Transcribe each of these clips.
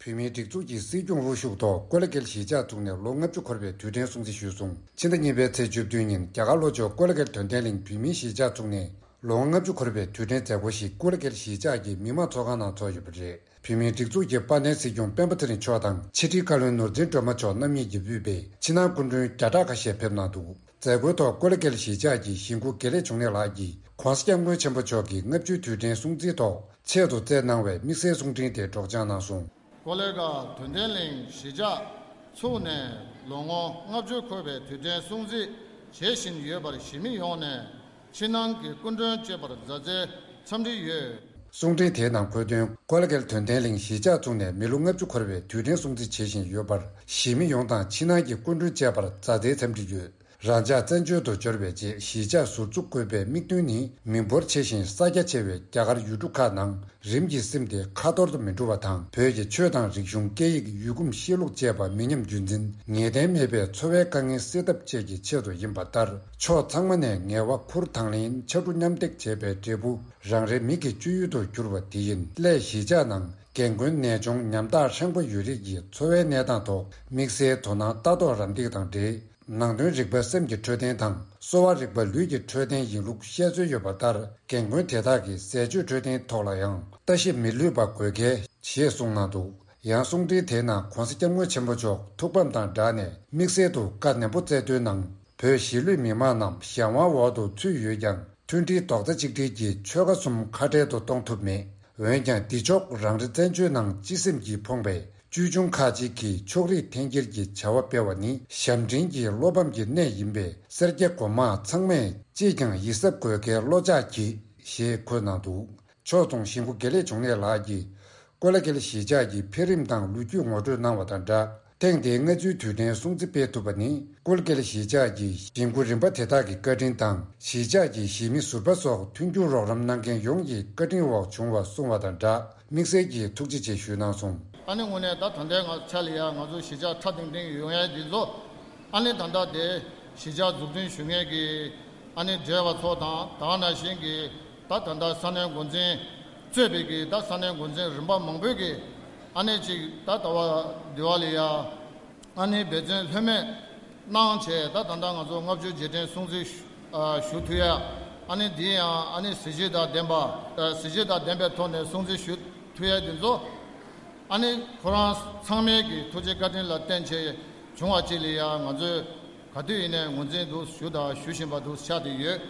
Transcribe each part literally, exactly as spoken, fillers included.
བོད་མིའི་སྒྲིག་འཛུགས་ཀྱི་སྲིད་སྐྱོང་དབུ་བཞུགས་ཐོག་ཀོ་ལ་གྷལ་གཞིས་ཆགས་བཙུགས་ནས་ལོ་ལྔ་བཅུ་འཁོར་བའི་དུས་དྲན་སྲུང་བརྩི་ཞུས་སོང་། ཕྱི་ཟླ་གཉིས་པའི་ཚེས་བཅུ་བདུན་ཉིན་རྒྱ་གར་ལྷོ་ཕྱོགས་ཀོ་ལ་གྷལ་དོན་ལྡན་གླིང་བོད་མིའི་གཞིས་ཆགས་བཙུགས་ནས་ལོ་ངོ་ལྔ་བཅུ་འཁོར་བའི་དུས་དྲན་མཛད་སྒོ་ཞིག་ཀོ་ལ་གྷལ་གཞིས་ཆགས་ཀྱི་མི་དམངས་ཚོགས་ཁང་ནང་ཚོགས་ཡོད་པ་རེད། བོད་མིའི་སྒྲིག་འཛུགས་ཀྱི་དཔལ་ལྡན་སྲིད་སྐྱོང་སྤེན་པ་ཚེ་རིང་མཆོག་དང་ཕྱི་དྲིལ་བཀའ་བློན་ནོར་འཛིན་སྒྲོལ་མ་མཆོག་རྣམ་གཉིས་ཀྱིས་དབུས་པའི་ཕྱི་ནང་སྐུ་མགྲོན་བརྒྱ་ཕྲག་ཁ་ཤས་ཕེབས་གནང་འདུག། མཛད་སྒོའི་ཐོག་ཀོ་ལ་གྷལ་གཞིས་ཆགས་ཀྱི་གཞིས་འགོ་དགེ་ལེགས་འབྱུང་གནས་ལགས་ཀྱིས་༧གོང་ས་༧སྐྱབས་མགོན་ཆེན་པོ་མཆོག་གི་ལྔ་བཅུའི་དུས་དྲན་སྲུང་བརྩིའི་ཐོག་ཆེད་དུ་བསྩལ་གནང་བའི་དམིགས་བསལ་གསུང་འཕྲིན་དེ་སྒྲོག་སྦྱང་གནང་སོང་། ཀོ་ལེ་གྷལ་དོན་ལྡན་གླིང་གཞིས་ཆགས་ཚུགས་ནས་ལོ་ངོ་ལྔ་བཅུ་འཁོར་བའི་དུས་དྲན་སྲུང་བརྩི་བྱེད་བཞིན་ཡོད་པར་གཞིས་མི་ཡོངས་ནས་ཕྱི་ནང་གི་སྐུ་མགྲོན་བཅས་པར་མཛའ་བརྩེའི་འཚམས་འདྲི་ཡོད། གསུང་འཕྲིན་དེའི་ནང་འཁོད་དོན། ཀོ་ལ་གྷལ་དོན་ལྡན་གླིང་གཞིས་ཆགས་བཙུགས་ནས་མི་ལོ་ལྔ་བཅུ་འཁོར་བའི་དུས་དྲན་སྲུང་བརྩི་བྱེད་བཞིན་ཡོད་པར་གཞིས་མི་ཡོངས་དང་ཕྱི་ནང་གི་སྐུ་མགྲོན་བཅས་པར་མཛའ་བརྩེའི་འཚམས་འདྲི་ཡོད། རང་ཅག་བཙན་བྱོལ་དུ་འབྱོར་བའི་རྗེས་གཞིས་ཆགས་ཟུར་འཛུགས་དགོས་པའི་དམིགས་འདུན་ནི་མི་འབོར་ཆེ་ཞིང་ས་རྒྱ་ཆེ་བའི་རྒྱ་གར་ཡུལ་གྲུ་ཁག་ནང་རིམ་གྱིས་སིམ་སྟེ་ཁ་ཐོར་དུ་མི་འགྲོ་བ་དང་། བོད་ཀྱི་ཆོས་དང་རིག་གཞུང་། སྐད་ཡིག། ཡུལ་གོམས་གཤིས་ལུགས་བཅས་པ་མི་ཉམས་རྒྱུན་འཛིན། ངེས་གཏན་མེད་པའི་འཚོ་བའི་དཀའ་ངལ་སེལ་ཐབས་བཅས་ཀྱི་ཆེད་དུ་ཡིན་པ་ལྟར། ཕྱོགས་ཚང་མ་ནས་ངལ་བ་ཁུར་དང་ལེན། ཕྱར་གྲུ་མཉམ་འདེགས་བྱས་པའི་འབྲས་བུ་རང་རེའི་མིག་གི་སྤྱོད་ཡུལ་དུ་གྱུར་པ་དེ་ཡིན། སླད་གཞིས་ཆགས་ནང་རྒན་རྒོན་ནད་གཅོང་ཉམ་ཐག་ཧྲེང་པོ་ཡོད་རིགས་ཀྱི་འཚོ་བའི་གནས་སྟངས་ཐོག་དམིགས་བསལ་དོ་སྣང་ལྟ་རྟོག་རམ་འདེགས་དང་འབྲེལ། ནང་དོན་རིག་པ་སེམས་ཀྱི་འཕྲོད་བསྟེན་དང་། གསོ་བ་རིག་པ་ལུས་ཀྱི་འཕྲོད་བསྟེན་ཡིན་ལུགས་བཤད་སྲོལ་ཡོད་པ་ལྟར། རྒན་རྒོན་དེ་དག་གི་ཟས་སྤྱོད་འཕྲོད་བསྟེན་ཐོག་ལ་ཡང་ལྟ་ཞིབ་མི་ལྷོད་པ་དགོས་གལ་ཞེས་གསུངས་གནང་འདུག། ཡང་གསུང་འཕྲིན་དེའི་ནང་༧གོང་ས་༧སྐྱབས་མགོན་ཆེན་པོ་མཆོག་ཐུགས་ཕམ་དང་སྦྲགས་ནས་དམིགས་བསལ་དུ་བཀའ་ནན་པོ་སྩལ་དོན་ནང་། བོད་གཞིས་ལུས་མི་མང་རྣམས་གཞན་དབང་འོག་ཏུ་ཚུད་ཡོད་ཀྱང་། མཐུན་སྒྲིལ་རྡོག་རྩ་གཅིག་སྒྲིལ་གྱིས་ཆོལ་ཁ་གསུམ་ཁ་བྲལ་དུ་གཏོང་ཐུབ་མེད། འོན་ཀྱང་། འདི་ཕྱོགས་རང་རེ་བཙན་བྱོལ་ནང་སྤྱི་སེམས་ཀྱིས་ཕོངས་པའི་ཅོལ་ཆུང་ཁག་ཅིག་གིས་ཕྱོགས་རིས་འཐེན་འཁྱེར་གྱི་བྱ་བ་སྤེལ་བ་ནི་ཞབས་འདྲེན་གྱི་བློ་ཕམ་གྱི་གནས་ཡིན་པས། སེར་སྐྱ་གོང་མ་ཚང་མས་ཅིས་ཀྱང་ཡིད་གཟབ་དགོས་གལ་བློ་འཇགས་གྱིས། ཞེས་འཁོད་གནང་འདུག། ཕྱོགས་མཚུངས་གཞིས་འགོ་དགེ་ལེགས་འབྱུང་གནས་ལགས་ཀྱིས། ཀོ་ལ་གྷལ་གཞིས་ཆགས་ཀྱི་འཕེལ་རིམ་དང་ལོ་རྒྱུས་ངོ་སྤྲོད་གནང་བ་དང་སྦྲགས། ཐེངས་འདིའི་ལྔ་བཅུའི་དུས་དྲན་སྲུང་བརྩི་སྤེལ་ཐུབ་པ་ནི། ཀོ་ལ་གྷལ་གཞིས་ཆགས་ཀྱི་གཞིས་འགོ་རིམ་པ་དེ་དག་གི་བཀའ་དྲིན་དང་། གཞིས་ཆགས་ཀྱི་གཞིས་མི་ཟུར་པ་སོགས་མཐུན་འགྱུར་རོགས་རམ་གནང་མཁན་ཡོངས་ཀྱི་བཀའ་དྲིན་འོག་བྱུང་བ་གསུངས་བ་དང་སྦྲགས། དམིགས་བསལ་གྱིས་ཐུགས་རྗེ་ཆེ་ཞུས་གནང་སོང་། ཨ་ནི་དངོས་གནས་ད་ད་ལྟའི་ང་ཆ་ལ་ཡ་ང་ཚོ་གཞིས་ཆགས་ཁྲ་ཐིང་ཐིང་ཡོང་ཡ་འདི་ཚོ། ཨ་ནི་ད་ལྟ་དེ་གཞིས་ཆགས་འཛུགས་སྐྲུན་ཞུ་མཁན་གྱི་ཨ་ནི་བགྲེས་པ་ཚོ་དང་། ད་ག་ནང་བཞིན་གྱི་ད་ད་ལྟ་ས་གནས་འགོ་འཛིན་གཙོས་པའི་གི་ད་ས་གནས་འགོ་འཛིན་རིམ་པ་མང་པོས་གི་ཨ་ནི་ཅིག་ད་ད་བ་འདི་བ་ལ་ཡ་ཨ་ནི་འབད་བརྩོན་ལྷོད་མེད་གནང་བྱས། ད་ད་ལྟ་ང་ཚོ་ལྔ་བཅུ་རྗེས་དྲན་སྲུང་བརྩི་ཞུ་ཨ་ཞུ་ཐུབ་ཡ། ཨ་ནི་འདི་ཡང་ཨ་ནི་གཟི་བརྗིད་དང་ལྡན་པ། ཨ་གཟི་བརྗིད་དང་ལྡན་པའི་ཐོག་ནས་སྲུང་བརྩི་ཞུ་ཐུབ་ཡ་འདི་ཚོ། ཨ་ནི་ཁོ་རང་ཚང་མའི་གི་ཐུགས་རྗེ་བཀའ་དྲིན་ལ་བརྟེན་བྱས་བྱུང་བ་ཅིག་ལ་ཡ་ང་ཚོས་ག་དུས་ཡིན་ནའི་ངོས་འཛིན་འདུག་ཞུ་དང་ཞུ་བཞིན་པ་འདུག་ཆགས་བསྡད་ཡོད།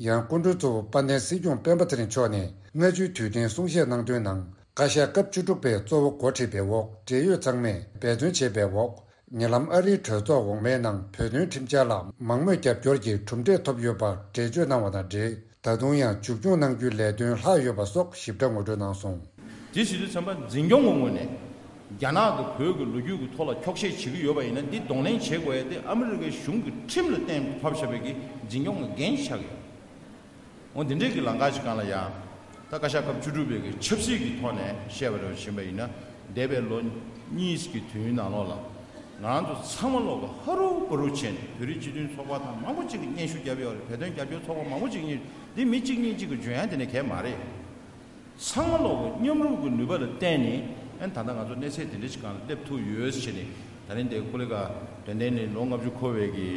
ཡང་སྐུ་མགྲོན་གཙོ་བོ་དཔལ་ལྡན་སྲིད་སྐྱོང་སྤེན་པ་ཚེ་རིང་མཆོག་ནས་ལྔ་བཅུའི་དུས་དྲན་གསུང་བཤད་གནང་དོན་ནང་། བཀའ་ཤག་སྐབས་བཅུ་དྲུག་པས་གཙོ་བོ་འགོ་ཁྲིད་པའི་འོག་འབྲེལ་ཡོད་ཚང་མས་འབད་བརྩོན་བྱས་པའི་འོག་ཉེ་ལམ་ཨ་རིའི་གྲོས་ཚོགས་འོག་མའི་ནང་བོད་དོན་ཁྲིམས་འཆར་ལ་མང་མོས་རྒྱབ་སྐྱོར་གྱི་གྲུབ་འབྲས་ཐོབ་ཡོད་པར་འགྲེལ་བརྗོད་གནང་བ་དང་འབྲེལ། ད་དུང་ཡང་མཇུག་སྐྱོང་གནང་རྒྱུའི་ལས་དོན་ལྷག་ཡོད་པ་སོགས་ཞིབ་ཕྲ་ངོ་སྤྲོད་གནང་སོང་། དེ་བྱེད་དུས་ཙམ་པ་འཛིན་སྐྱོང་གི་ངོས་ནས་རྒྱ་ནག་གིས་བོད་ཀྱི་ལོ་རྒྱུས་ཀྱི་ཐོག་ལ་འཁྱོག་བཤད་བྱེད་ཀྱི་ཡོད་པ་ཡིན་ན། འདི་གདོང་ལེན་བྱེད་དགོས་ཡ་དེ་ཨ་མི་རི་ཀའི་གཞུང་གི་ཁྲིམས་ལ་གཏན་ཕབ་བཞག་པའི་གི་འཛིན་སྐྱོང་གི་འགན་ཆགས་ཀྱི་ཡོད། འོ་འདི་འདྲའི་གི་ལམ་ཁ་ཞིག་སྒང་ལ་ཡ། ད་བཀའ་ཤག་སྐབས་བཅུ་དྲུག་པའི་གི་ཆབ་སྲིད་ཀྱི་ཐོག་ནས་བཤད་པ་རེད་བཞིན་པ་ཡིན་ན། འདས་པའི་ལོ་གཉིས་ཀྱི་དུས་ཡུན་ནང་ལོགས་ལ་ང་རང་ཚོ་ཚང་མ་ལོག་གི་ཧ་རུ་པ་རུ་བྱས་ནས་བོད་རིགས་སྤྱི་མཐུན་ཚོགས་པ་དང་མང་པོ་ཅིག་གིས་སྙན་ཞུ་བརྒྱབ་ཡོད་རེད། བོད་དོན་རྒྱབ་སྐྱོར་ཚོགས་པ་མང་པོ་ཅིག་གིས་སྙན་ཞུ། འདི་མི་གཅིག་གཉིས་གཅིག་གིས་འཇོན་ཡ་དེ་ནས་གལ་མ་རེད། ཚང་མ་ལོག་གི་མཉམ་རུབ་ཀྱི་ནུས་པ་ལ་བརྟེན་ནས། ཨ་ནི་ད་ལྟ་ང་ཚོ་གནས་ཚད་དེ་འདྲ་ཞིག་སྒང་ལ་སླེབས་ཐུབ་ཡོད་ཟེར་ནས། ད་རིང་འདིར་ཀོ་ལི་གྷལ་དོན་ལྡན་གླིང་ལོ་ལྔ་བཅུ་འཁོར་བའི་གི་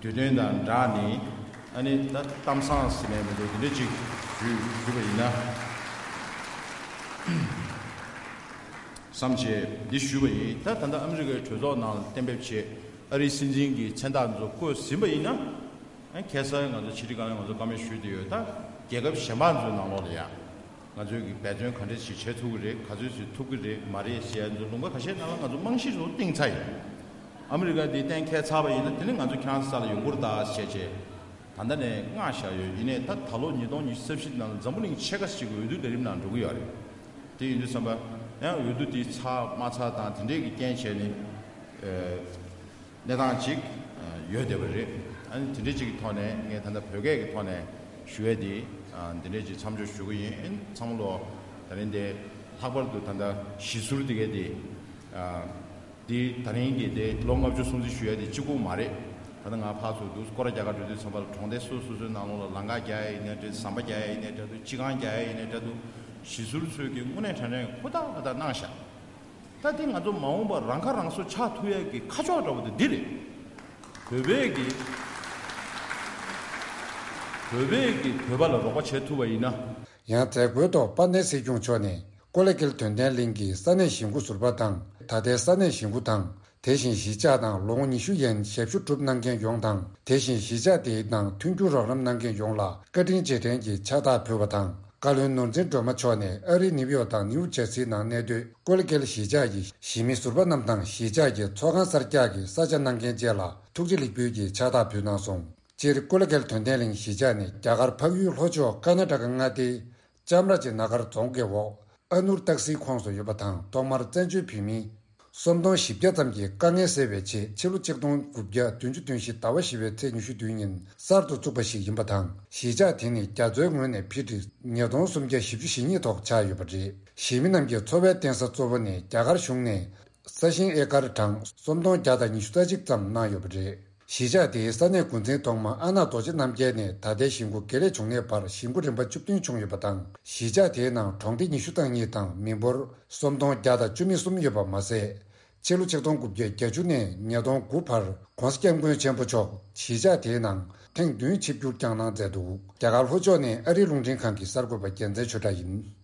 དུས་སྟོན་དང་སྦྲགས་ནས། ཨ་ནི་ད་གཏམ་བཟང་ཟེར་ནས་མི་འདུག་དེ་འདྲ་ཅིག་ཞུས་ཞུས་པ་ཡིན་ན་བསམ་བྱས་འདི་ཞུས་པ་ཡིན། ད་ད་ལྟ་ཨ་མི་རི་ཀའི་གྲོས་ཚོགས་ནང་ལ་གཏན་འབེབས་བྱས། ཨ་རིའི་སྲིད་འཛིན་གྱི་མཚན་རྟགས་ཚོ་བཀོད་ཟིན་པ་ཡིན་ན། ཨ་ཁ་སང་ང་ཚོ་ཕྱི་དྲིལ་བཀའ་བློན་ང་ཚོ་བཀའ་མོལ་ཞུས་བསྡད་ཡོད། ད་རྒྱལ་ཁབ་གཞན་པ་ཚོའི་ནང་ལོགས་ལ་ཡང་། ང་ཚོས་ཀྱི་འབད་བརྩོན་ག་འདྲས་ཞིག་བྱེད་ཐུབ་ཀྱི་རེད། ག་ཚོད་ཞིག་ཐུབ་ཀྱི་རེད་མ་རེད་ཞེས་ཡ་ཚོ་ལུང་པ་ཁ་ཤས་ནང་ལ་ང་ཚོ་རྨང་གཞི་ཚོ་བཏིང་ཚར་ཡོད། ཨ་མི་རི་ཀ་འདི་གཏན་འཁེལ་ཚར་བ་ཡིན་ན། དེ་ནི་ང་ཚོ་ཁྱེད་རང་ཚོ་ས་ལ་ཡོང་གི་རེད་ད་ཟེར་བྱས་ད་ལྟ་ནས་མངགས་བཞག་ཡོད། ཡིན་ནའི་ད་ད་ལོ་ཉིས་སྟོང་ཉི་ཤུ་རྩ་བཞི་ནང་ལ་འཛམ་བུ་གླིང་ཆེ་ཁག་ཅིག་གི་འོས་བསྡུ་ལས་རིམ་ནང་འགྲོ་གི་ཡོད་རེད། དེ་ཡིན་དུས་ཙམ་པ་ཡང་འོས་བསྡུ་དེ་ཚར་མ་ཚར་དང་དེ་འདྲས་ཀྱི་རྐྱེན་བྱས་ནས། ཨ། གནས་སྟངས་ཅིག་ཡོད་བསྡད་པ་རེད། ཨ་ནི་དེ་འདྲའི་ཅིག་གི་ཐོག་ནས་ངས་ད་ལྟ་བོད་སྐད་ཀྱི་ཐོག་ནས་ཞུ་ཡས་དེ། ཨ། འདི་འདྲའི་ཅིག་མཚམས་འཇོག་ཞུ་གི་ཡིན། ཨ་ནི་ཚང་མ་ལོ་ད་རིང་དེ་ལྷག་པར་དུ་ད་ལྟ་གཞིས་ཟུར་དེ་གས་དེ། ཨ། དེ་ད་རིང་གི་དེ་ལོ་ལྔ་བཅུ་སྲུང་བརྩི་ཞུ་ཡས་དེ་གཅིག་པུ་མ་རེད། ད་ལྟ་ང་ཕར་ཚུར་འདུག་སྐོར་ར་རྒྱག་ག་འགྲོ་དུས་ཙམ་པ་ལ་གྲོང་སྡེ་སོ་སོ་སོའི་ནང་ལོགས་ལ་ལམ་ཁ་རྒྱག་ཡས་ཡིན་ནའི་འདྲ། ཟམ་པ་རྒྱག་ཡས་ཡིན་ནའི་འདྲ་འདུག་སྤྱི་ཁང་རྒྱག་ཡས་ཡིན་ནའི་འདྲ་འདུག་གཞིས་ཟུར་ཚོས་ཀྱི་དངོས་གནས་དྲང་གནས་ཧུར་ཐག་ཧུར་ཐག་གནང་ཤག་ད་དེ་ང་ཚོ་མ་འོངས་པར་རང་ཁ་རང་གསོ་ཆགས་ཐུབ་ཡས་ཀྱི་ཁ་ཕྱོགས་འདྲ་བོ་དེ་འདི་རེད། བོད་པས་ཀྱི་བོད་པས་ཀྱི་བོད་པ་ལ་རོགས་པ་བྱེད་ཐུབ་པ་ཡིན་ན། ཡང་མཛད་སྒོའི་ཐོག་དཔལ་ལྡན་སྲིད་སྐྱོང་མཆོག་ནས་ཀོ་ལེ་གྷལ་དོན་ལྡན་གླིང་གི་ས་གནས་གཞིས་འགོ་ཟུར་པ་དང་། ད་ལྟའི་ས་གནས་གཞིས་འགོ་དང་། དེ་བཞིན་གཞིས་ཆགས་དང་ལོ་ངོ་ཉི་ཤུ་ཡན་ཞབས་ཞུ་སྒྲུབ་གནང་མཁན་ཡོངས་དང་། དེ་བཞིན་གཞིས་ཆགས་དེའི་ནང་མཐུན་འགྱུར་རོགས་རམ་གནང་མཁན་ཡོངས་ལ་བཀའ་དྲིན་རྗེས་དྲན་གྱི་ཕྱག་རྟགས་ཕུལ་བ་དང་། བཀའ་བློན་ནོར་འཛིན་སྒྲོལ་མ་མཆོག་ནས་ཨ་རིའི་ནིའུ་ཡོག་དང་ནིའུ་ཇར་སིའི་ནང་གནས་སྡོད་ཀོ་ལི་གྷལ་གཞིས་ཆགས་ཀྱི་གཞིས་མི་ཟུར་པ་རྣམས་དང་། གཞིས་ཆགས་ཀྱི་ཚོགས་ཁང་གསར་རྒྱག་གི་ས་ཆ་གནང་མཁན་བཅས་ལ་ཐུགས་རྗེ་ལེགས་འབུལ་གྱི་ཕྱག་རྟགས་ཕུལ་གནང་སོང་། སྤྱིར་ཀོ་ལི་གྷལ་དོན་ལྡན་གླིང་གཞིས་ཆགས་ནི་རྒྱ་གར་འཕགས་ཡུལ་ལྷོ་ཕྱོགས་ཀར་ན་ཊ་ཀ་མངའ་སྡེའི་ཅམ་ར་ཇི་ན་གར་རྫོང་གི་འོག་ཨ་ནུར་ཏག་སིའི་ཁོངས་སུ་ཡོད་པ་དང་། ཐོག་མར་བཙན་བྱོལ་བོད་མི་སུམ་སྟོང་བཞི་བརྒྱ་ཙམ་གྱི་དཀའ་ངལ་སེལ་བའི་ཆེད་ཕྱི་ལོ་ཆིག་སྟོང་དགུ་བརྒྱ་བདུན་ཅུ་དོན་བཞི་ཟླ་བ་བཞི་པའི་ཚེས་ཉི་ཤུ་བདུན་ཉིན་གསར་དུ་བཙུགས་པ་ཞིག་ཡིན་པ་དང་། གཞིས་ཆགས་དེ་ནི་རྒྱ་མཚོའི་ངོས་ནས་ཕི་ཊི་ཉིས་སྟོང་སུམ་བརྒྱ་བཞི་བཅུ་ཞེ་གཉིས་ཐོག་ཆགས་ཡོད་པ་རེད། གཞིས་མི་རྣམས་ཀྱི་འཚོ་བའི་རྟེན་ས་གཙོ་བོ་ནི་རྒྱ་གར་གཞུང་ནས་ས་ཞིང་ཨེ་ཀར་གྲངས་སུམ་སྟོང་བརྒྱ་དང་ཉི་ཤུ་རྩ་གཅིག་ཙམ་གནང་ཡོད་པ་རེད། གཞིས་ཆགས་དེའི་ས་གནས་འགོ་འཛིན་ཐོག་མ་ཨ་ནག་རྡོ་རྗེ་རྣམ་རྒྱལ་ནས་ད་ལྟའི་གཞིས་འགོ་དགེ་ལེགས་འབྱུང་གནས་བར་གཞིས་འགོ་རིམ་པ་བཅུ་བདུན་བྱུང་ཡོད་པ་དང་། གཞིས་ཆགས་དེའི་ནང་གྲོང་སྡེ་ཉི་ཤུ་རྩ་གཉིས་དང་མི་འབོར་སུམ་སྟོང་བརྒྱ་དང་བཅུ་མེད་གསུམ་ཡོད་པ་མ་ཟད། ཕྱི་ལོ་ཆིག་སྟོང་དགུ་བརྒྱ་བརྒྱད་ཅུ་ནས་ཉིས་སྟོང་དགུ་བར་༸གོང་ས་༸སྐྱབས་མགོན་ཆེན་པོ་མཆོག་གཞིས་ཆགས་དེའི་ནང་ཐེངས་བདུན་ཆིབས་བསྒྱུར་བསྐྱངས་གནང་མཛད་འདུག་རྒྱ་གར་ལྷོ་ཕྱོགས་ནས་ཨ་རིའི་རླུང་འཕྲིན་ཁང་གི་གསར་འགོད་པ་རྒྱལ་མཚན་ཆོས་གྲགས་ཡིན།